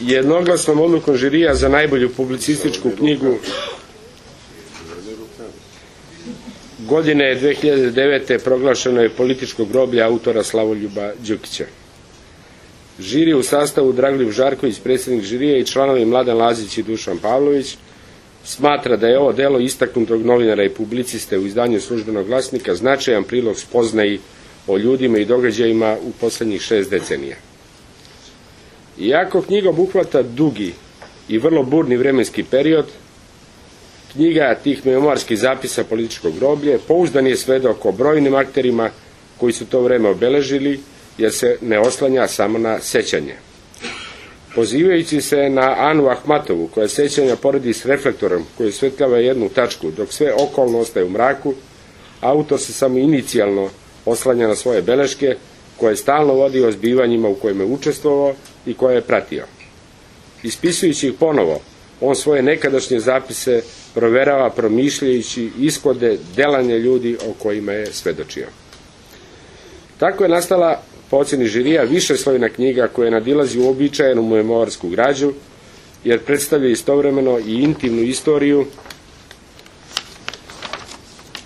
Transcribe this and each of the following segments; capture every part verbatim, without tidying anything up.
Jednoglasnom odlukom žirija za najbolju publicističku knjigu godine dve hiljade devete. proglašeno je Političko groblje autora Slavoljuba Đukića. Žiri u sastavu Dragoljub Žarković, predsjednik žirija, i članovi Mladen Lazić i Dušan Pavlović smatra da je ovo delo istaknutog novinara i publiciste u izdanju Službenog glasnika značajan prilog spoznaji o ljudima i događajima u poslednjih šest decenija. Iako knjiga obuhvata dugi i vrlo burni vremenski period, knjiga tih memoarskih zapisa Političkog groblje pouzdan je svedok o brojnim akterima koji su to vreme obeležili, jer se ne oslanja samo na sećanje. Pozivajući se na Anu Ahmatovu, koja sećanja poredi s reflektorom koji osvetljava jednu tačku, dok sve okolno ostaje u mraku, autor se samo inicijalno oslanja na svoje beleške, koje stalno vodi o zbivanjima u kojima je učestvovao i koje je pratio. Ispisujući ih ponovo, on svoje nekadašnje zapise proverava promišljajući ishode delanja ljudi o kojima je svedočio. Tako je nastala, po oceni žirija, višeslojna knjiga koja nadilazi uobičajenu memoarsku građu, jer predstavlja istovremeno i intimnu istoriju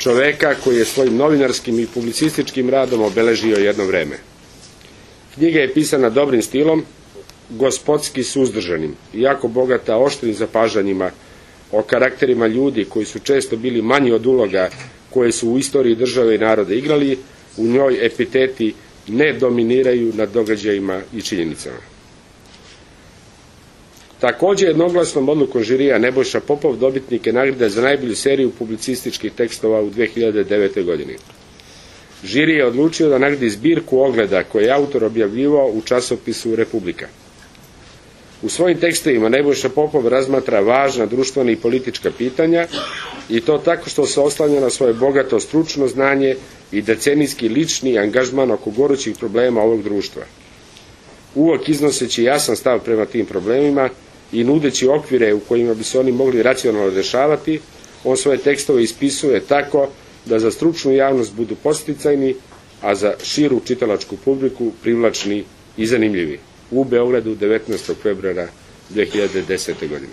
čoveka koji je svojim novinarskim i publicističkim radom obeležio jedno vreme. Knjiga je pisana dobrim stilom, gospodski suzdržanim, jako bogata oštrim zapažanjima o karakterima ljudi koji su često bili manji od uloga koje su u istoriji države i naroda igrali. U njoj epiteti ne dominiraju nad događajima i činjenicama. Takođe, jednoglasnom odlukom žirija Nebojša Popov dobitnik je nagrade za najbolju seriju publicističkih tekstova u dve hiljade devete. godini. Žiri je odlučio da nagradi zbirku ogleda koje je autor objavljivao u časopisu Republika. U svojim tekstovima Nebojša Popov razmatra važna društvena i politička pitanja, i to tako što se oslanja na svoje bogato stručno znanje i decenijski lični angažman oko gorućih problema ovog društva. Uvek iznoseći jasan stav prema tim problemima i nudeći okvire u kojima bi se oni mogli racionalno rešavati, on svoje tekstove ispisuje tako da za stručnu javnost budu podsticajni, a za širu čitalačku publiku privlačni i zanimljivi. U Beogradu devetnaestog februara dve hiljade desete. godine.